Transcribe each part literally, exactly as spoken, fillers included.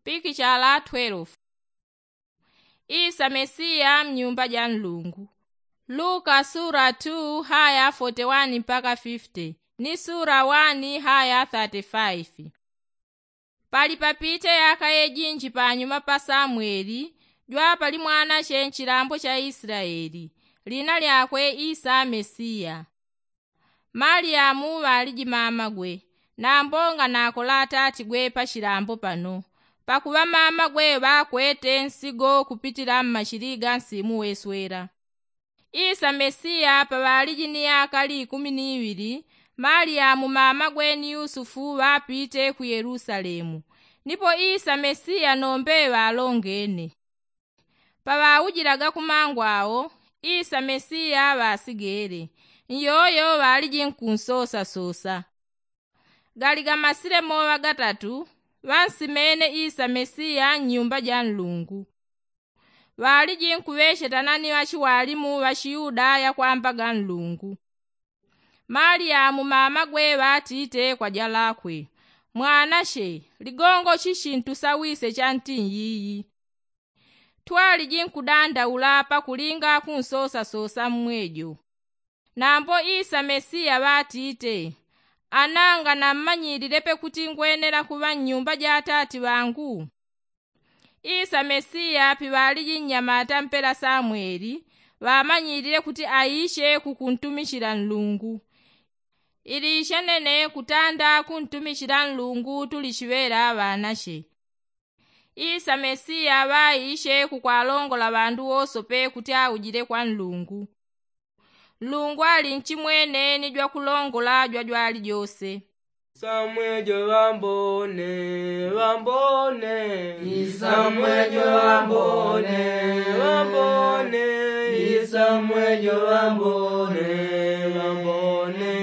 Pikichala twelve. Isa mesiya mnyumba ja nlungu. Luka sura two haya forty one mpaka fifty, ni sura one haya thirty five. Pali papite yaka yejinji panyuma pa samweli, jwapali mwanache nchilambo cha isilaeli, lina lyakwe isa mesiya. Maliyamu ŵaliji mamagwe, nambo nganakola atatigwe pa chilambo pano, pakuŵa mamagwe ŵakwete nsigo kupitila mmachili ga nsimu weswela. Isa mesiya paŵaliji ni yaka likumi ni iŵili, maliyamu mamagwe ni yusufu ŵapite ku yelusalemu. Nipo isa mesiya nombe ŵalongene. Paŵaujilaga kumangu awo, isa mesiya ŵasigele, nyoyo ŵaliji nkunsosasosa. Gali gamasile moŵa gatatu, ŵansimene isa mesiya nnyumba ja nlungu. Ŵaliji nkuŵechetana ni ŵachiwalimu ŵa chiyudaya kwamba ga nlungu. Maliyamu mamagwe ŵatite kwa jalakwe, mwanache, ligongo chichi ntusawise chanti nyiyi? Twaliji nkudandaula pakulinga kunsosasosa mmwejo. Nambo isa mesiya ŵatite, ananga nammanyililepe kuti ngwenela kuŵa nnyumba ja atati ŵangu? Isa mesiya piŵaliji nnyamata mpela samweli, ŵamanyilile kuti aiche kukuntumichila nlungu. Ili ichenene kutanda kuntumichila nlungu tulichiŵela ŵanache. Isa mesiya ŵaiche kukwalongola ŵandu wosope kuti aujile kwa nlungu. Nlungu ali nchimwene ni jwakulongola jwajwalijose. Samwejo ŵambone, ŵambone. Isamwejo ŵambone, ŵambone. Isamwejo ŵambone, ŵambone.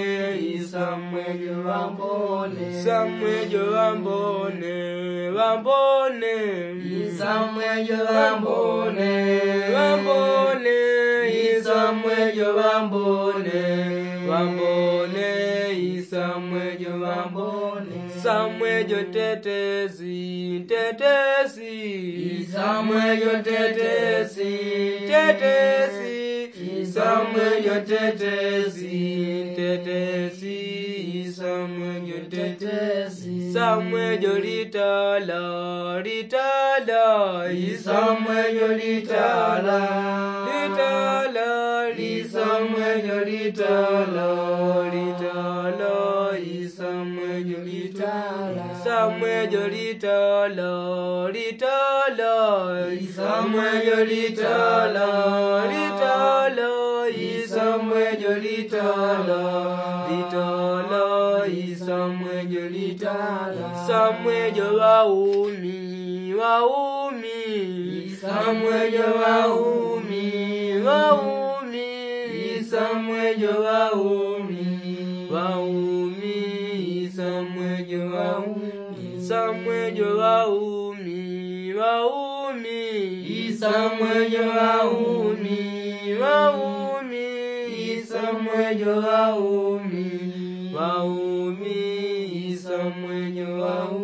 Isamwejo ŵambone, isamwejo ŵambone, ŵambone. Isamwejo ŵambone, ŵambone. Isamwejo ŵambone, ŵambone. Isamwejo ŵambone, isamwejo tetesi, tetesi. Isamwejo tetesi, tetesi. Isamwejo tetesi, tetesi. Isamwejo tetesi, isamwejo litala, litala. Isamwejo litala, litala. Isamwejo litala, litala. Isamwejo litala, isamwejo litala, litala. Isamwejo litala, litala. Isamwejo litala, litala. Isamwejo litala. Isamwejo ŵaumi, ŵaumi. Isamwejo ŵaumi, ŵaumi. Isamwejo ŵaumi, ŵaumi. Isamwejo ŵaumi, isamwejo ŵaumi, ŵaumi. Isamwejo ŵaumi, ŵaumi. Isamwejo ŵaumi, ŵaumi. Isamwejo ŵaumi.